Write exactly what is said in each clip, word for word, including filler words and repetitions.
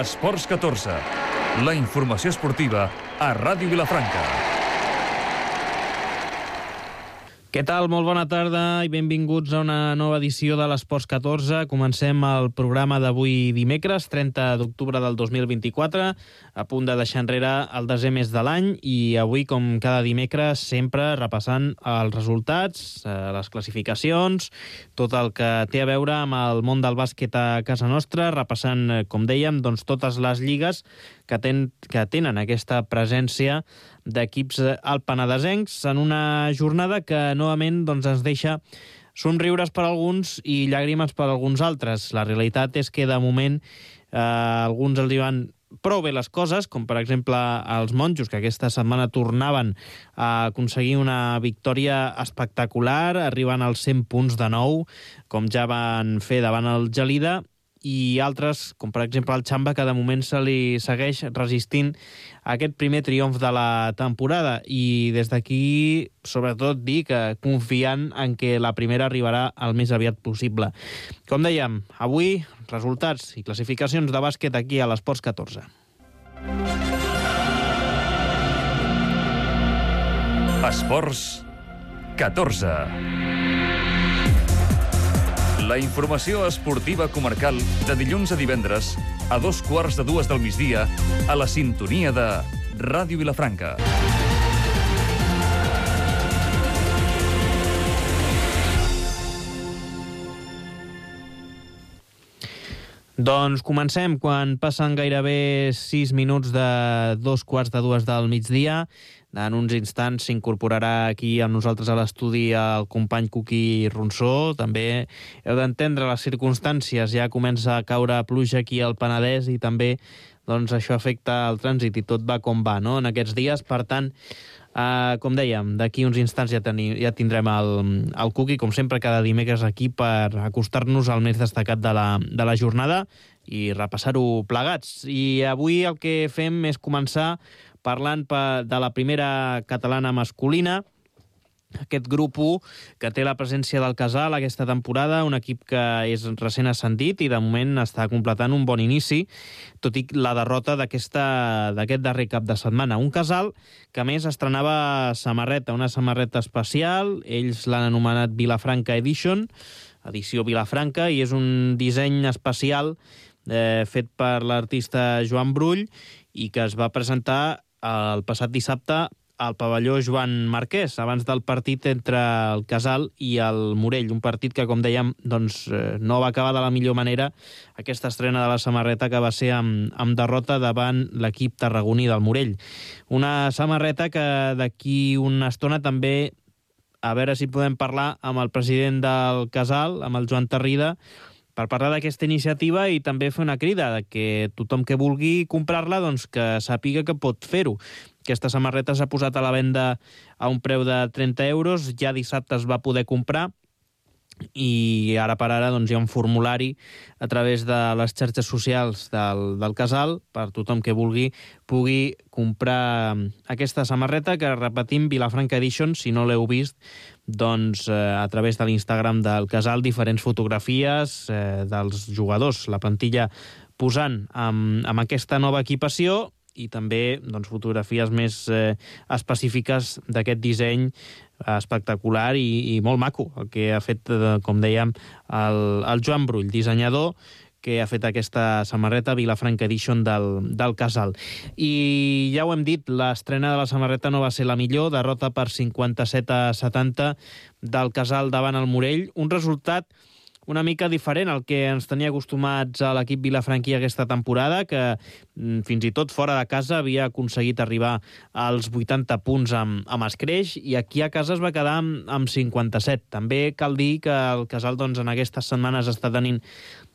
Esports catorze, la informació esportiva a Ràdio Vilafranca. Què tal? Molt bona tarda i benvinguts a una nova edició de l'Esports catorze. Comencem el programa d'avui dimecres, trenta d'octubre del dos mil vint-i-quatre, a punt de deixar enrere el desè mes de l'any, i avui, com cada dimecres, sempre repassant els resultats, les classificacions, tot el que té a veure amb el món del bàsquet a casa nostra, repassant, com dèiem, doncs, totes les lligues que, ten, que tenen aquesta presència d'equips alpenadesencs en una jornada que novament doncs, ens deixa somriures per alguns i llàgrimes per alguns altres. La realitat és que de moment eh, alguns els diuen prou bé les coses, com per exemple els monjos, que aquesta setmana tornaven a aconseguir una victòria espectacular, arribant als cent punts de nou, com ja van fer davant el Gelida, i altres, com per exemple el Xamba, que de moment se li segueix resistint a aquest primer triomf de la temporada. I des d'aquí, sobretot, dir que confiant en que la primera arribarà el més aviat possible. Com dèiem, avui, resultats i classificacions de bàsquet aquí a l'Esports catorze. Esports catorze. La informació esportiva comarcal de dilluns a divendres a dos quarts de dues del migdia a la sintonia de Ràdio Vilafranca. Doncs comencem quan passen gairebé sis minuts de dos quarts de dues del migdia. En uns instants s'incorporarà aquí amb nosaltres a l'estudi el company Cuqui Ronsó. També heu d'entendre les circumstàncies. Ja comença a caure pluja aquí al Penedès i també doncs, això afecta el trànsit i tot va com va, no?, en aquests dies. Per tant, eh, com dèiem, d'aquí uns instants ja, teni, ja tindrem el, el Cuqui, com sempre, cada dimecres aquí per acostar-nos al més destacat de la, de la jornada i repassar-ho plegats. I avui el que fem és començar parlant de la primera catalana masculina, aquest grup u que té la presència del Casal aquesta temporada, un equip que és recent ascendit i de moment està completant un bon inici, tot i la derrota d'aquest darrer cap de setmana. Un Casal que a més estrenava samarreta, una samarreta especial, ells l'han anomenat Vilafranca Edition, edició Vilafranca, i és un disseny especial eh, fet per l'artista Joan Brull i que es va presentar el passat dissabte al pavelló Joan Marquès, abans del partit entre el Casal i el Morell, un partit que, com dèiem, doncs, no va acabar de la millor manera, aquesta estrena de la samarreta que va ser amb, amb derrota davant l'equip tarragoní del Morell. Una samarreta que d'aquí una estona també, a veure si podem parlar amb el president del Casal, amb el Joan Tarrida, per parlar d'aquesta iniciativa i també fer una crida de que tothom que vulgui comprar-la doncs que sàpiga que pot fer-ho. Aquesta samarreta s'ha posat a la venda a un preu de trenta euros, ja dissabte es va poder comprar i ara per ara doncs, hi ha un formulari a través de les xarxes socials del, del Casal per tothom que vulgui pugui comprar aquesta samarreta que, repetim, Vilafranca Edition, si no l'heu vist, doncs eh, a través de l'Instagram del Casal diferents fotografies eh, dels jugadors, la plantilla posant amb, amb aquesta nova equipació i també doncs, fotografies més eh, específiques d'aquest disseny espectacular i, i molt maco, el que ha fet, eh, com dèiem, el, el Joan Brull, dissenyador, que ha fet aquesta samarreta Vilafranca Edition del, del Casal. I ja ho hem dit, l'estrena de la samarreta no va ser la millor, derrota per cinquanta-set a setanta del Casal davant el Morell, un resultat una mica diferent al que ens tenia acostumats a l'equip vilafranquí aquesta temporada, que fins i tot fora de casa havia aconseguit arribar als vuitanta punts amb, amb escreix, i aquí a casa es va quedar amb, amb cinquanta-set. També cal dir que el Casal doncs, en aquestes setmanes està tenint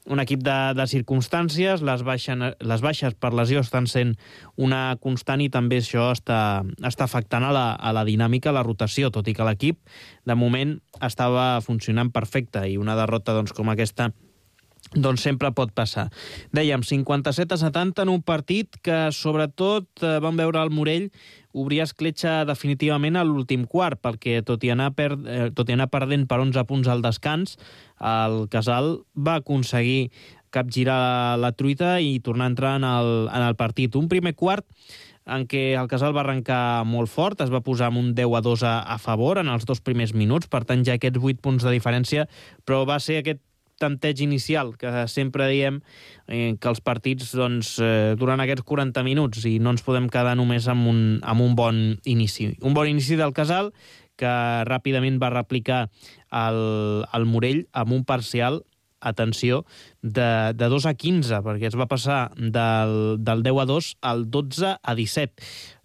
un equip de, de circumstàncies, les, baixen, les baixes per lesió estan sent una constant i també això està, està afectant a la, a la dinàmica, a la rotació, tot i que l'equip de moment estava funcionant perfecte i una derrota doncs, com aquesta doncs sempre pot passar. Dèiem, cinquanta-set a setanta en un partit que sobretot eh, vam veure al Morell obrir escletxa definitivament a l'últim quart, perquè tot i anar, per, eh, tot i anar perdent per onze punts al descans, el Casal va aconseguir capgirar la, la truita i tornar a entrar en el, en el partit. Un primer quart en què el Casal va arrencar molt fort, es va posar amb un deu a dos a, a favor en els dos primers minuts, per tant ja aquests vuit punts de diferència, però va ser aquest tanteig inicial, que sempre diem eh, que els partits doncs, eh, duran aquests quaranta minuts i no ens podem quedar només amb un, amb un bon inici. Un bon inici del Casal, que ràpidament va replicar el, el Morell amb un parcial, atenció, de, de dos a quinze, perquè es va passar del, del deu a dos al dotze a disset.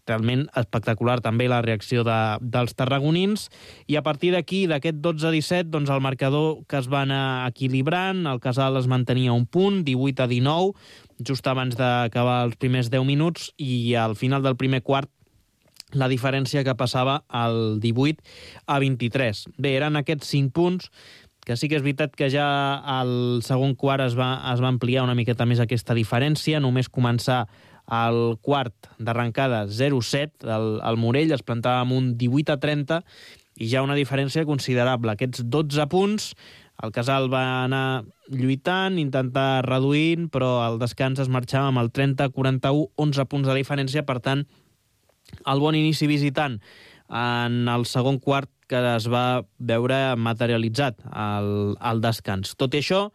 Realment espectacular també la reacció de, dels tarragonins, i a partir d'aquí, d'aquest dotze a disset, doncs el marcador que es va anar equilibrant, el Casal es mantenia un punt, divuit a dinou, just abans d'acabar els primers deu minuts, i al final del primer quart la diferència que passava al divuit a vint-i-tres. Bé, eren aquests cinc punts, que sí que és veritat que ja al segon quart es va, es va ampliar una miqueta més aquesta diferència, només començar al quart d'arrencada zero a set, el, el Morell es plantava amb un divuit a trenta, i ja una diferència considerable. Aquests dotze punts, el Casal va anar lluitant, intentar reduint, però al descans es marxava amb el trenta a quaranta-u, onze punts de diferència, per tant, el bon inici visitant en el segon quart que es va veure materialitzat al, al descans. Tot i això,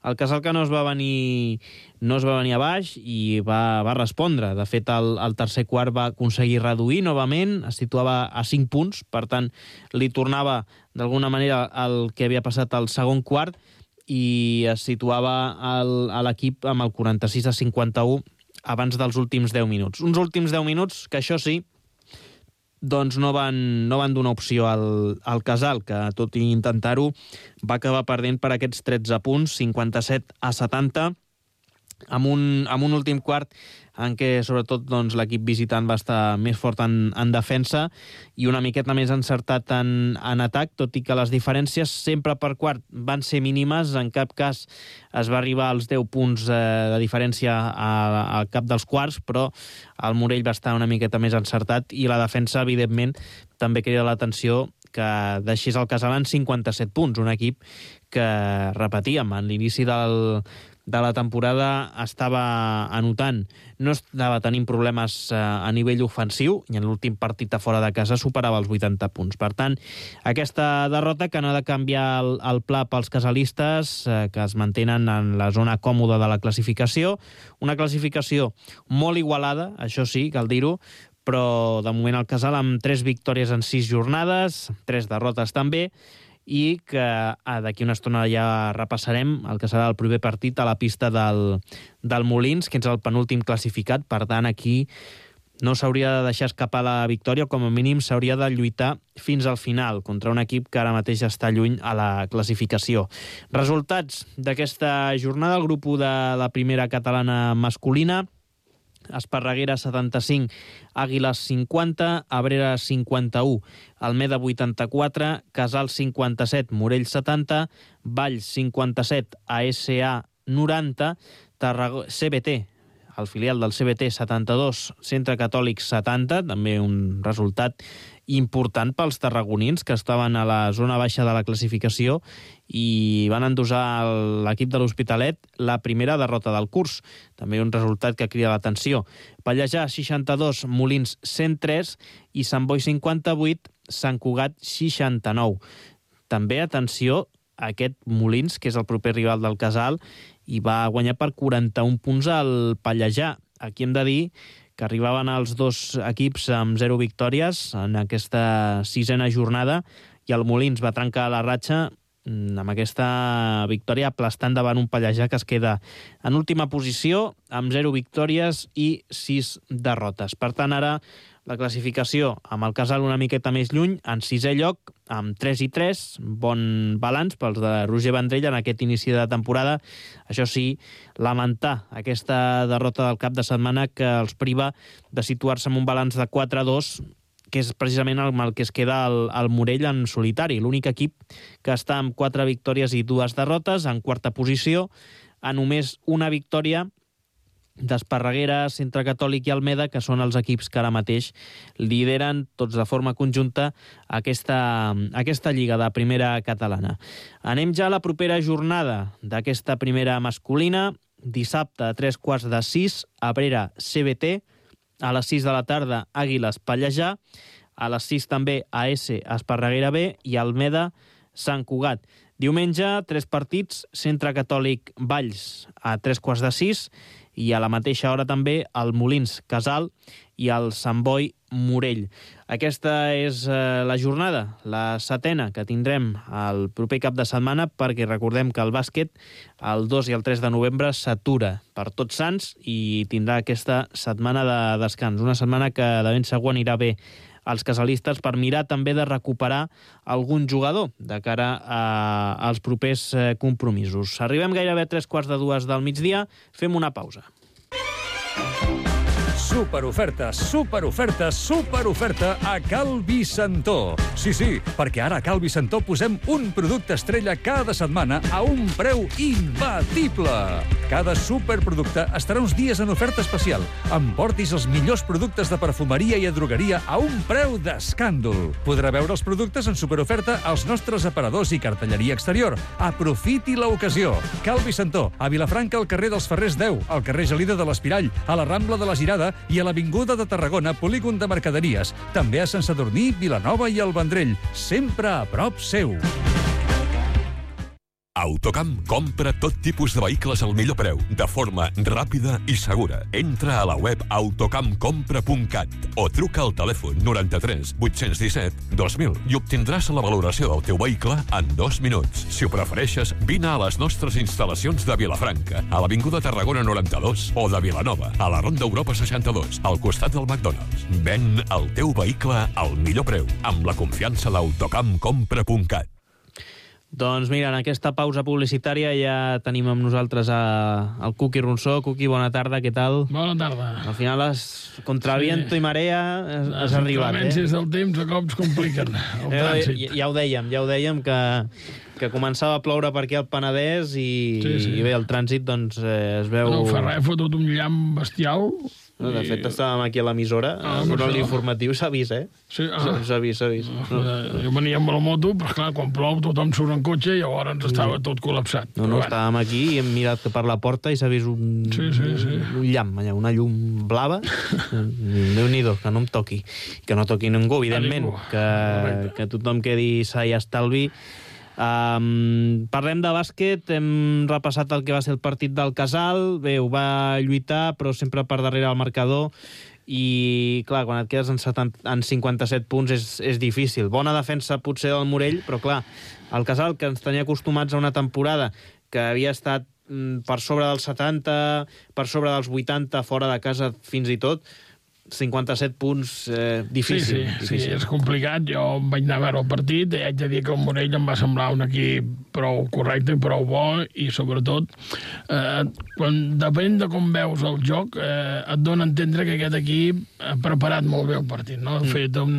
el Casal que no es va venir, no es va venir a baix i va, va respondre. De fet, el, el tercer quart va aconseguir reduir novament, es situava a cinc punts, per tant, li tornava d'alguna manera el que havia passat al segon quart i es situava el, a l'equip amb el quaranta-sis a cinquanta-u abans dels últims deu minuts. Uns últims deu minuts que, això sí, doncs no van, no van donar opció al, al Casal, que tot i intentar-ho va acabar perdent per aquests tretze punts, cinquanta-set a setanta, amb un, amb un últim quart en què sobretot doncs, l'equip visitant va estar més fort en, en defensa i una miqueta més encertat en, en atac, tot i que les diferències sempre per quart van ser mínimes, en cap cas es va arribar als deu punts eh, de diferència al cap dels quarts, però el Morell va estar una miqueta més encertat i la defensa, evidentment, també crida l'atenció que deixés el Casal en cinquanta-set punts, un equip que, repetíem, en l'inici del de la temporada estava anotant, no estava tenint problemes eh, a nivell ofensiu i en l'últim partit a fora de casa superava els vuitanta punts. Per tant, aquesta derrota que no ha de canviar el, el pla pels casalistes, eh, que es mantenen en la zona còmoda de la classificació, una classificació molt igualada, això sí, cal dir-ho, però de moment el Casal amb tres victòries en sis jornades, tres derrotes també, i que ah, d'aquí una estona ja repassarem el que serà el proper partit a la pista del, del Molins, que és el penúltim classificat. Per tant, aquí no s'hauria de deixar escapar la victòria, com a mínim s'hauria de lluitar fins al final contra un equip que ara mateix està lluny a la classificació. Resultats d'aquesta jornada, el grup u de la primera catalana masculina: Esparreguera setanta-cinc, Àguiles cinquanta, Abrera cinquanta-u, Almeda vuitanta-quatre, Casal cinquanta-set, Morell setanta, Valls cinquanta-set, A S A noranta, Tarragona, C B T, el filial del C B T setanta-dos, Centre Catòlic setanta, també un resultat important pels tarragonins que estaven a la zona baixa de la classificació i van endosar l'equip de l'Hospitalet la primera derrota del curs. També un resultat que crida l'atenció. Pallejà seixanta-dos, Molins cent tres i Sant Boi cinquanta-vuit, Sant Cugat seixanta-nou. També, atenció, aquest Molins, que és el proper rival del Casal, i va guanyar per quaranta-un punts al Pallejà. Aquí hem de dir que arribaven els dos equips amb zero victòries en aquesta sisena jornada i el Molins va trencar la ratxa amb aquesta victòria aplastant davant un Pallejà que es queda en última posició amb zero victòries i sis derrotes. Per tant, ara la classificació amb el Casal una miqueta més lluny, en sisè lloc, amb tres i tres, bon balanç pels de Roger Vendrell en aquest inici de temporada. Això sí, lamentar aquesta derrota del cap de setmana que els priva de situar-se amb un balanç de quatre a dos, que és precisament el, el que es queda el, el Morell en solitari, l'únic equip que està amb quatre victòries i dues derrotes, en quarta posició, a només una victòria d'Esparreguera, Centre Catòlic i Almeda, que són els equips que ara mateix lideren tots de forma conjunta aquesta, aquesta lliga de primera catalana. Anem ja a la propera jornada d'aquesta primera masculina. Dissabte a tres quarts de sis, Abrera C B T, a les sis de la tarda Àguiles Pallejà, a les sis també A S Esparreguera B i Almeda Sant Cugat. Diumenge, tres partits, Centre Catòlic Valls a tres quarts de sis i a la mateixa hora també el Molins Casal i el Sant Boi Morell. Aquesta és eh, la jornada, la setena que tindrem el proper cap de setmana, perquè recordem que el bàsquet el dos i el tres de novembre s'atura per Tots Sants i tindrà aquesta setmana de descans. Una setmana que de ben segur anirà bé als casalistes per mirar també de recuperar algun jugador de cara a, als propers eh, compromisos. Arribem gairebé a tres quarts de dues del migdia, fem una pausa. Superofertes, superofertes, superoferta a Cal Vicentó. Sí, sí, perquè ara a Cal Vicentó posem un producte estrella cada setmana a un preu imbatible. Cada superproducte estarà uns dies en oferta especial. Emportis els millors productes de perfumeria i drogueria a un preu d'escàndol. Podrà veure els productes en superoferta als nostres aparadors i cartelleria exterior. Aprofiti l'ocasió. Cal Vicentó, a Vilafranca, al carrer dels Ferrers deu, al carrer Gelida de l'Espirall, a la Rambla de la Girada i a l'Avinguda de Tarragona, polígon de mercaderies. També a Sant Sadurní, Vilanova i el Vendrell. Sempre a prop seu. Autocamp compra tot tipus de vehicles al millor preu, de forma ràpida i segura. Entra a la web autocamp compra punt cat o truca al telèfon noranta-tres vuit-cents disset dos mil i obtindràs la valoració del teu vehicle en dos minuts. Si ho prefereixes, vine a les nostres instal·lacions de Vilafranca, a l'Avinguda Tarragona noranta-dos o de Vilanova, a la Ronda Europa seixanta-dos, al costat del McDonald's. Ven el teu vehicle al millor preu, amb la confiança d'Autocamp compra punt cat. Doncs mira, en aquesta pausa publicitària ja tenim amb nosaltres a, el Cuqui Ronsó. Cuqui, bona tarda, què tal? Bona tarda. Al final, les, contra sí. viento i marea, has, has arribat, eh? Les inclemències del temps a cops compliquen el trànsit. Ja, ja ho dèiem, ja ho dèiem, que, que començava a ploure per aquí al Penedès i, sí, sí. i bé, el trànsit doncs eh, es veu... No fa res, ha fotut un llamp bestial. No, de fet, estàvem aquí a l'emissora, ah, donant l'informatiu, s'ha vist, eh? Sí, ah. S'ha vist, s'ha vist. No. Jo venia amb la moto, però clar, quan plou tothom surt en cotxe i llavors ens estava tot col·lapsat. No, no, estàvem aquí i hem mirat per la porta i s'ha vist un, sí, sí, sí. un llamp, allà, una llum blava. Déu-n'hi-do, que no em toqui. Que no toqui ningú, evidentment. Que, que tothom quedi sa i estalvi. Um, parlem de bàsquet, hem repassat el que va ser el partit del Casal. Bé, ho va lluitar, però sempre per darrere el marcador. I, clar, quan et quedes en, setanta, en cinquanta-set punts és, és difícil. Bona defensa potser del Morell, però, clar, el Casal, que ens tenia acostumats a una temporada que havia estat mm, per sobre dels setanta, per sobre dels vuitanta, fora de casa fins i tot, cinquanta-set punts, eh, difícil, sí, sí, difícil. Sí, és complicat. Jo vaig anar a veure el partit i haig de dir que el Morell em va semblar un equip prou correcte i prou bo i, sobretot, eh, quan depèn de com veus el joc, eh, et dona a entendre que aquest equip ha preparat molt bé el partit, no? Ha mm. fet un,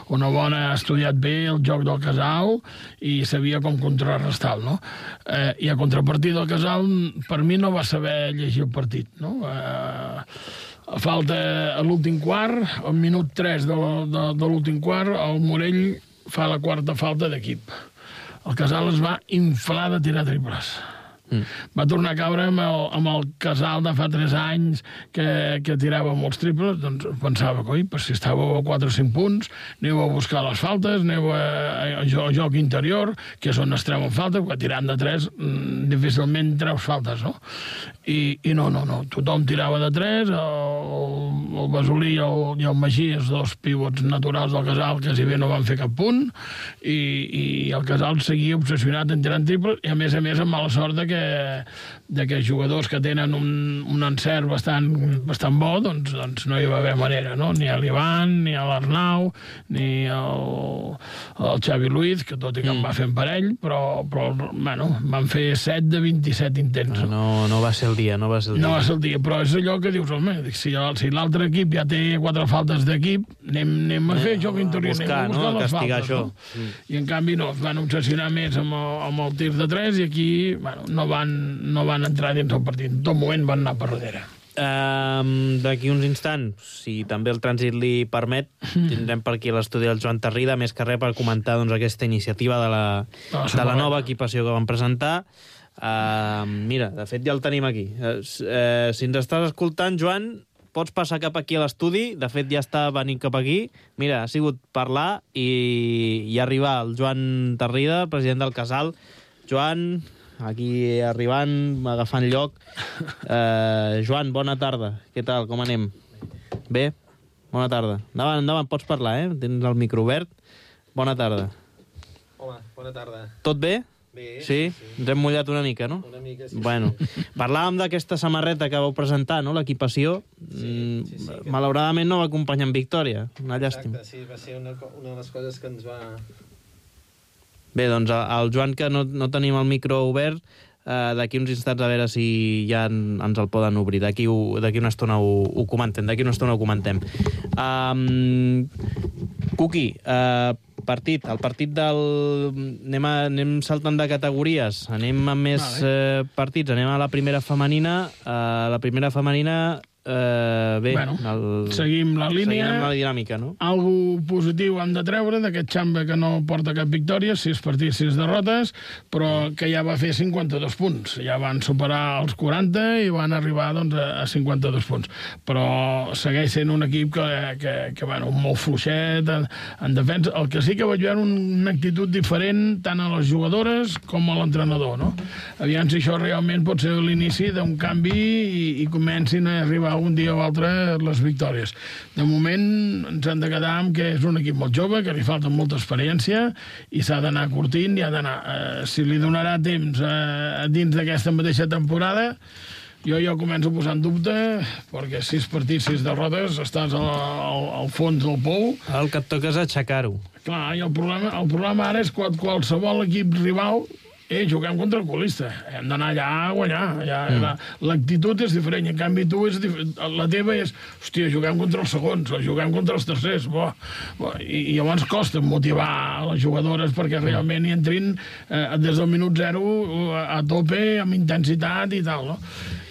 una bona... ha estudiat bé el joc del Casal i sabia com contrarrestar-lo, no? Eh, I a contrapartida del Casal, per mi no va saber llegir el partit, no? Eh, A falta a l'últim quart, al minut tres de, de, de l'últim quart, el Morell fa la quarta falta d'equip. El Casal es va inflar de tirar triples. Mm. Va tornar a caure amb el, amb el Casal de fa tres anys que, que tirava molts triples, doncs pensava que, oi, per si estàveu a quatre o cinc punts, aneu a buscar les faltes, aneu a, a, a joc interior, que és on es treuen faltes, perquè tirant de tres mm, difícilment treus faltes, no? I, i no, no, no, tothom tirava de tres, el, el Basolí i el, i el Magí, els dos pivots naturals del Casal, quasi bé no van fer cap punt, i, i el Casal seguia obsessionat en tirant triples, i a més a més amb mala sort de que de que jugadors que tenen un, un encert bastant, bastant bo, doncs, doncs no hi va haver manera, no? Ni a l'Ivan, ni a l'Arnau, ni al, al Xavi Luiz, que tot i que mm. em va fer en parell, però, però bueno, van fer set de vint-i-set intents. No, no, no va ser el dia, no va ser el dia. No va ser el dia, però és allò que dius, home, si, si l'altre equip ja té quatre faltes d'equip, anem, anem a fer eh, joc interior, buscar, anem a buscar no? les Castigar faltes. Això. No? Mm. I en canvi no, es van obsessionar més amb el, amb el tir de tres i aquí bueno, no, van, no van entrar dins del partit. En tot moment van anar per darrere. Um, D'aquí uns instants, si també el trànsit li permet, tindrem per aquí l'estudi del Joan Tarrida, més que res per comentar doncs, aquesta iniciativa de la, de la nova equipació que vam presentar. Uh, mira, de fet ja el tenim aquí. Uh, uh, si ens estàs escoltant, Joan, pots passar cap aquí a l'estudi. De fet ja està venint cap aquí. Mira, ha sigut parlar i, i arribar el Joan Tarrida, president del Casal. Joan, aquí arribant, agafant lloc. Uh, Joan, bona tarda. Què tal, com anem? Bé? Bona tarda. Endavant, endavant, pots parlar, eh? Tens el micro obert. Bona tarda. Hola, bona tarda. Tot bé? Bé. Sí? sí? Ens hem mullat una mica, no? Una mica, sí. Bueno, parlàvem d'aquesta samarreta que vau presentar, no?, l'equipació. Sí, sí, sí, que... Malauradament no va acompanyar amb victòria. Una llàstima. Exacte, sí, va ser una, una de les coses que ens va... Bé, doncs el Joan, que no, no tenim el micro obert, eh, d'aquí uns instants a veure si ja en, ens el poden obrir. D'aquí una estona ho, ho comentem, d'aquí una estona ho comentem. Um, Cuqui, eh, partit, el partit del... Anem, a, anem saltant de categories, anem amb més vale. eh, partits, anem a la primera femenina. Eh, la primera femenina... Uh, bé, bueno, el... seguim la línia. Seguim la dinàmica, no? Algo positiu hem de treure d'aquest Xamba que no porta cap victòria, sis partits, sis derrotes, però que ja va fer cinquanta-dos punts. Ja van superar els quaranta i van arribar doncs, a cinquanta-dos punts. Però segueix sent un equip que, que, que bueno, molt fluixet en, en defensa. El que sí que vaig veure una actitud diferent tant a les jugadores com a l'entrenador, no? Aviam si això realment pot ser l'inici d'un canvi i, i comencin a arribar un dia o altre les victòries. De moment ens hem de quedar amb que és un equip molt jove, que li falta molta experiència i s'ha d'anar curtint i ha d'anar... Eh, si li donarà temps eh, dins d'aquesta mateixa temporada, jo ja començo a posar en dubte, perquè sis partits, sis derrotes, estàs al, al, al fons del pou. El que et toca és aixecar-ho. Clar, i el problema, el problema ara és quan qualsevol equip rival Eh, juguem contra el colista. Hem d'anar allà a guanyar. Ja, mm. L'actitud és diferent. En canvi, tu és la teva és... Hòstia, juguem contra els segons, o juguem contra els tercers. Bo, bo. I, I llavors costa motivar les jugadores perquè realment hi entrin eh, des del minut zero a, a tope, amb intensitat i tal, no?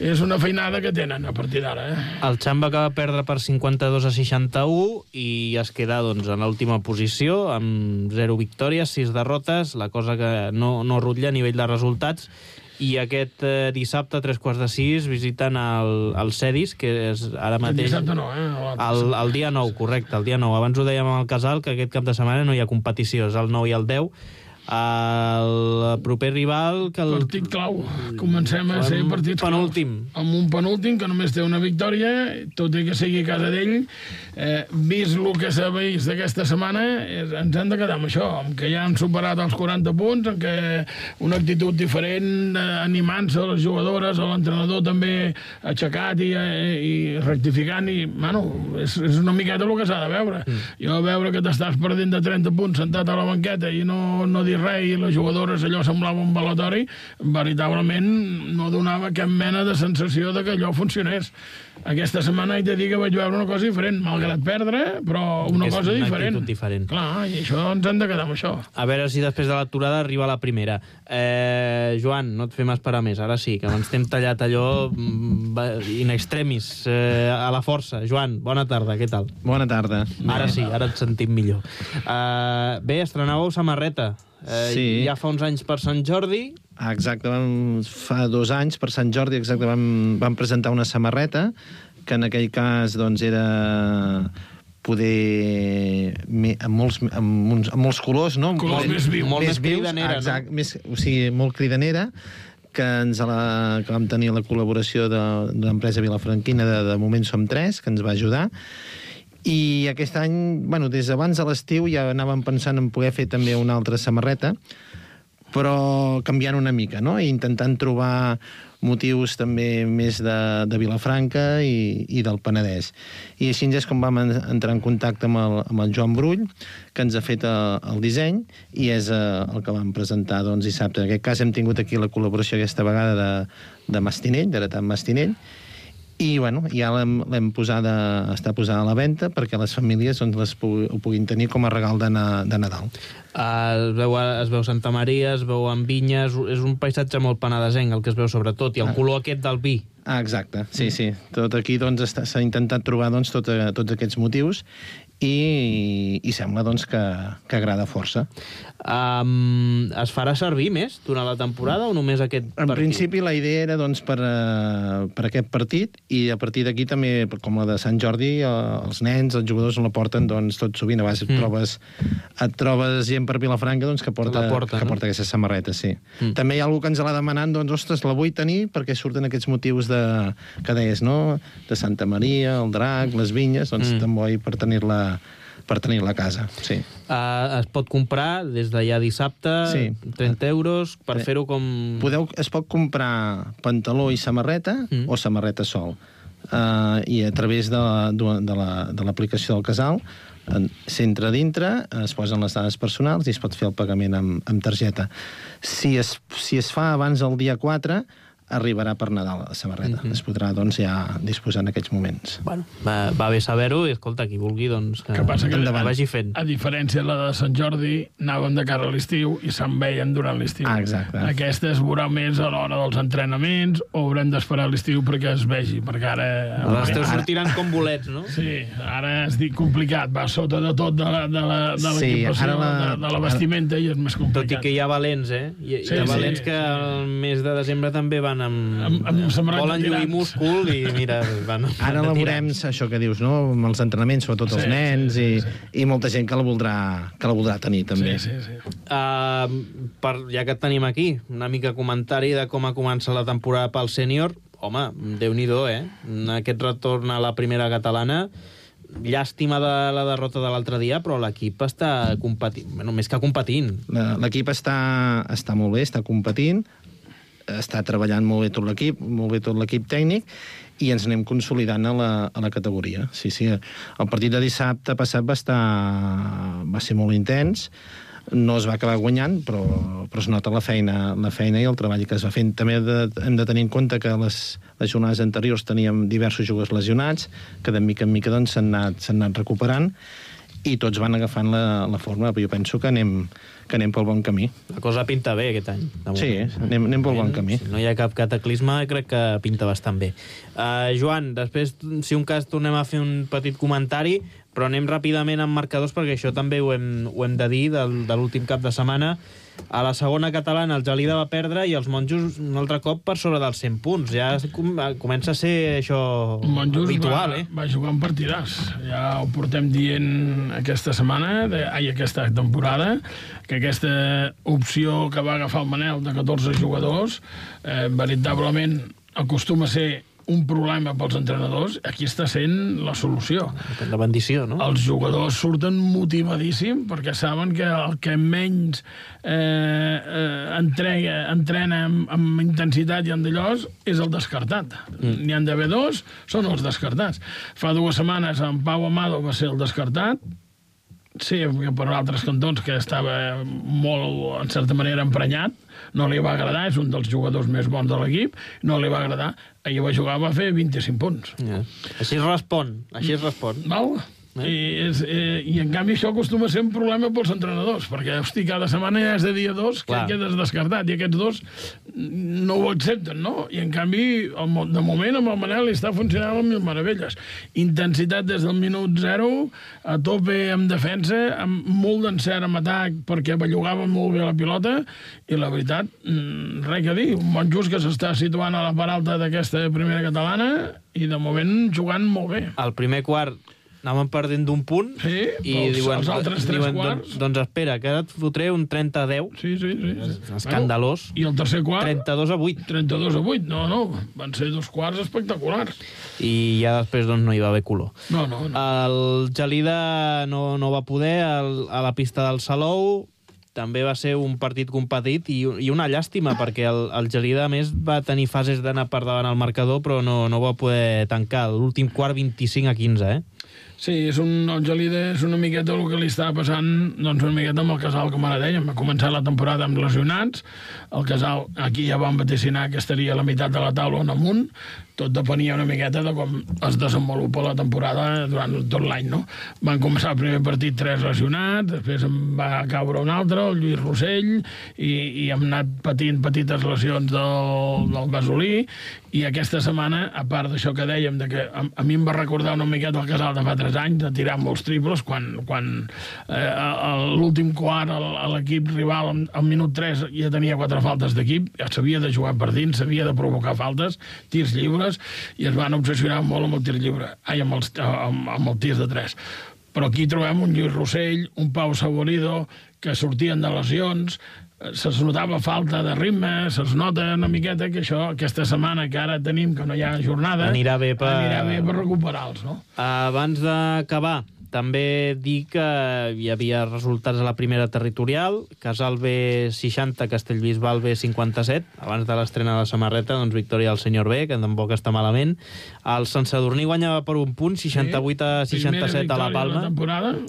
És una feinada que tenen a partir d'ara, eh? El Xamba acaba de perdre per cinquanta-dos a seixanta-u i es queda doncs, en l'última posició, amb zero victòries, sis derrotes, la cosa que no, no rutlla a nivell de resultats. I aquest eh, dissabte, a tres quarts de sis, visiten el, el Cedis, que és ara mateix... El dissabte no, eh? El, el dia nou, correcte, el dia nou. Abans ho dèiem al Casal, que aquest cap de setmana no hi ha competició, és el nou i el deu. El proper rival... Que el... Partit clau. Comencem a ser partits penúltim. Claus. Amb un penúltim que només té una victòria, tot i que sigui a casa d'ell. Eh, vist el que s'ha vist d'aquesta setmana, és, ens hem de quedar amb això, amb que ja han superat els quaranta punts, amb que una actitud diferent, eh, animant-se a les jugadores, a l'entrenador també aixecat i, eh, i rectificant, i, bueno, és, és una miqueta el que s'ha de veure. Mm. Jo veure que t'estàs perdent de trenta punts sentat a la banqueta i no, no dir res, i les jugadores allò semblava un balatori, veritablement no donava cap mena de sensació de que allò funcionés. Aquesta setmana he de dir que vaig veure una cosa diferent, malgrat perdre, però una cosa una diferent. diferent. Clar, i això ens hem de quedar amb això. A veure si després de l'aturada arriba la primera. Eh, Joan, no et fem esperar més, ara sí, que ens t'hem tallat allò in extremis, eh, a la força. Joan, bona tarda, què tal? Bona tarda. Ara sí, ara et sentim millor. Eh, bé, estrenàveu samarreta. Eh, sí. Ja fa uns anys per Sant Jordi. Exacte, vam, fa dos anys per Sant Jordi exacte, vam, vam presentar una samarreta que en aquell cas doncs, era poder amb molts, amb uns, amb molts colors, no? Colors molt, més vius. Molt més cridanera, exacte, no? Més, o sigui, molt cridanera, que, ens la, que vam tenir la col·laboració de, de l'empresa Vilafranquina, de, de moment som tres, que ens va ajudar. I aquest any, bueno, des d'abans de l'estiu ja anàvem pensant en poder fer també una altra samarreta, però canviant una mica, no? I intentant trobar motius també més de, de Vilafranca i, i del Penedès. I així és com vam entrar en contacte amb el, amb el Joan Brull, que ens ha fet el, el disseny, i és el que vam presentar doncs, dissabte. En aquest cas hem tingut aquí la col·laboració aquesta vegada de, de Mastinell, d'Heretat Mastinell, I, bueno, ja l'hem, l'hem posada, està posada a la venda perquè les famílies doncs, les pu ho puguin tenir com a regal de, na de Nadal. Uh, es, veu, es veu Santa Maria, es veu en vinyes, és un paisatge molt penedesenc el que es veu sobretot, i el Ah. color aquest del vi. Ah, exacte, sí, sí. Tot aquí doncs, s'ha intentat trobar doncs, tot, tots aquests motius i, i sembla doncs, que, que agrada força. Um, es farà servir més durant la temporada o només aquest En partit? principi la idea era doncs, per, uh, per aquest partit i a partir d'aquí també, com la de Sant Jordi, uh, els nens, els jugadors la porten doncs, tot sovint. A vegades mm. et, trobes, et trobes gent per Vilafranca doncs, que porta, La porta, que no? porta aquestes samarretes, sí. Mm. També hi ha algú que ens l'ha demanat, doncs, ostres, la vull tenir perquè surten aquests motius de, que deies, no? De Santa Maria, el drac, les vinyes, doncs mm. també vull per tenir-la per tenir-la a casa, sí. Uh, es pot comprar des de ja dissabte, Sí. trenta euros, per Sí. fer-ho com... Podeu, es pot comprar pantaló i samarreta Mm. o samarreta sol. Uh, I a través de, de, de la- de l'aplicació del casal s'entra dintre, es posen les dades personals i es pot fer el pagament amb, amb targeta. Si es, si es fa abans del dia quatre, arribarà per Nadal la samarreta. Mhm. Es podrà doncs, ja disposar en aquests moments. Bueno, va, va bé saber-ho i, escolta, qui vulgui, doncs, que, Que passa que que endavant. vagi fent. A diferència de la de Sant Jordi, anàvem de cara a l'estiu i se'n veien durant l'estiu. Ah, exacte. Aquesta es veurà més a l'hora dels entrenaments o haurem d'esperar l'estiu perquè es vegi, perquè ara... Les teus Ara- sortiran com bolets, no? Sí, ara es dic complicat, va sota de tot de la- de la- de Sí, l'equipació, ara la- de, de la vestimenta i és més complicat. Tot i que hi ha valents, eh? Hi, Sí, hi ha sí, valents que sí. al mes de desembre també van amb... Amb- amb samarreta volen lluir tirants. múscul i, mira, van, Ara van la de veurem, tirants. això que dius, no? Amb els entrenaments, sobretot els Sí, nens, sí, i, sí. i molta gent que la voldrà, que la voldrà tenir, també. Sí, sí, sí. Uh, per, ja que et tenim aquí, una mica comentari de com ha començat la temporada pel sènior. Home, Déu-n'hi-do, eh? Aquest retorn a la primera catalana, llàstima de la derrota de l'altre dia, però l'equip està competint, bueno, més que competint. La- L'equip està, està molt bé, està competint, està treballant molt bé tot l'equip, molt bé tot l'equip tècnic, i ens anem consolidant a la, a la categoria. Sí, sí, el partit de dissabte passat va estar va ser molt intens, no es va acabar guanyant, però, però es nota la feina, la feina i el treball que es va fent. També de, hem de tenir en compte que les, les jornades anteriors teníem diversos jugadors lesionats, que de mica en mica doncs, s'han anat, s'han anat recuperant, i tots van agafant la, la forma, però jo penso que anem, que anem pel bon camí. La cosa pinta bé aquest any. de Sí, moment. anem, anem pel bon camí. Si no hi ha cap cataclisme, crec que pinta bastant bé. Uh, Joan, després, si un cas, tornem a fer un petit comentari, però anem ràpidament amb marcadors, perquè això també ho hem, ho hem de dir del, de l'últim cap de setmana. A la segona catalana el Gelida va perdre i els monjos un altre cop per sobre dels cent punts. Ja com, comença a ser això Monjos habitual, va, eh? va jugar un partidàs. Ja ho portem dient aquesta setmana, de, ai, aquesta temporada, que aquesta opció que va agafar el Manel de catorze jugadors eh, veritablement acostuma a ser un problema pels entrenadors. Aquí està sent la solució. La bendició, no? Els jugadors surten motivadíssim perquè saben que el que menys eh, eh, entrega, entrena amb, amb intensitat i amb d'allòs és el descartat. Mm. N'hi han d'haver dos, són els descartats. Fa dues setmanes en Pau Amado va ser el descartat, sí, per altres cantons que estava molt, en certa manera, emprenyat, no li va agradar, és un dels jugadors més bons de l'equip, no li va agradar, ahir va jugar, va fer vint-i-cinc punts. Ja. Així es respon, així es respon. Val? Eh? I, és, eh, I en canvi això acostuma a ser un problema pels entrenadors, perquè, hosti, cada setmana ja és de dia dos que Clar. quedes descartat, i aquests dos no ho accepten, no? I en canvi, el, mo- de moment, amb el Manel li està funcionant amb mil meravelles. Intensitat des del minut zero, a tope amb defensa, amb molt d'encert amb atac, perquè bellugava molt bé la pilota, i la veritat, mm, res que dir, un bon just que s'està situant a la part alta d'aquesta primera catalana, i de moment jugant molt bé. Al primer quart anàvem perdent d'un punt Sí, i els- diuen, els altres tres diuen quarts. doncs, doncs espera, que ara et fotré un trenta a deu, Sí, sí, sí. sí. escandalós. Bueno, I el tercer quart, trenta-dos a vuit, trenta-dos a vuit. No, no, van ser dos quarts espectaculars. i ja després doncs, no hi va haver color. No, no, no. El Gelida no, no va poder el, a la pista del Salou, també va ser un partit competit i, i una llàstima, perquè el, el Gelida, a més, va tenir fases d'anar per davant al marcador, però no, no va poder tancar. L'últim quart, vint-i-cinc a quinze, eh? Sí, és un, el Gelida és una miqueta el que li estava passant, doncs una miqueta amb el Casal, com ara dèiem. Va començar la temporada amb lesionats, el Casal aquí ja van vaticinar que estaria a la meitat de la taula on amunt, tot depenia una miqueta de com es desenvolupa la temporada durant tot l'any, no? Van començar el primer partit tres lesionats, després en va caure un altre, el Lluís Rossell, i, i hem anat patint petites lesions del, del Gasolí, i aquesta setmana, a part d'això que dèiem, de que a, a mi em va recordar una miqueta el Casal de fa tres anys, de tirar molts triples, quan, quan eh, a l'últim quart l'equip rival al minut tres ja tenia quatre faltes d'equip, ja s'havia de jugar per dins, s'havia de provocar faltes, tirs lliures, i es van obsessionar molt amb el tir lliure, ai, amb els, amb, amb el tir de tres. Però aquí trobem un Lluís Rossell, un Pau Saborido, que sortien de lesions, se'ls notava falta de ritme, se'ls nota una miqueta que això, aquesta setmana que ara tenim, que no hi ha jornada, anirà bé per, anirà bé per recuperar-los, no? Abans d'acabar, també dir que hi havia resultats a la primera territorial, Casal B seixanta, Castellbisbal B cinquanta-set, abans de l'estrena de la samarreta, doncs victòria del senyor B, que tampoc està malament. El Sant Sadurní guanyava per un punt, seixanta-vuit a seixanta-set a la Palma.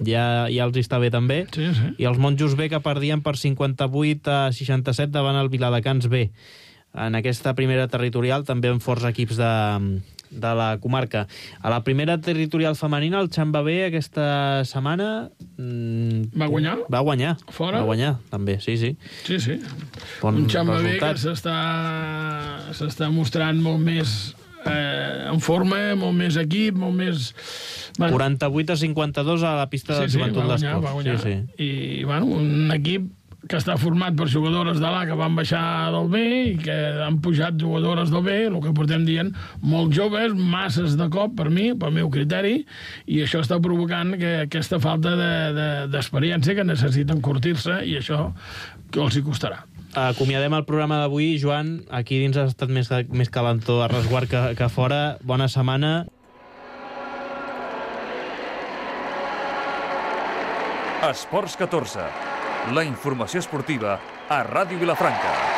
Ja, ja els està bé també. Sí, sí. I els Monjos B, que perdien per cinquanta-vuit a seixanta-set davant el Viladecans B. En aquesta primera territorial també amb forts equips de, de la comarca. A la primera territorial femenina, el Xamba B aquesta setmana... Mmm, va guanyar? Va guanyar. Fora? Va guanyar, també, sí, sí. Sí, sí. Bon un Xamba B que resultat. s'està mostrant molt més eh, en forma, molt més equip, molt més... Bueno, quaranta-vuit a cinquanta-dos a la pista sí, de Joventut sí, d'Esports. Va guanyar, sí, sí. I, bueno, un equip que està format per jugadores de l'A que van baixar del B i que han pujat jugadores del B, el que portem dient, molt joves, masses de cop, per mi, pel meu criteri, i això està provocant que aquesta falta d'experiència de, de, que necessiten curtir-se, i això que els hi costarà. Acomiadem el programa d'avui. Joan, aquí dins ha estat més, més calentó a resguard que, que fora. Bona setmana. Esports catorze. La informació esportiva a Ràdio Vilafranca.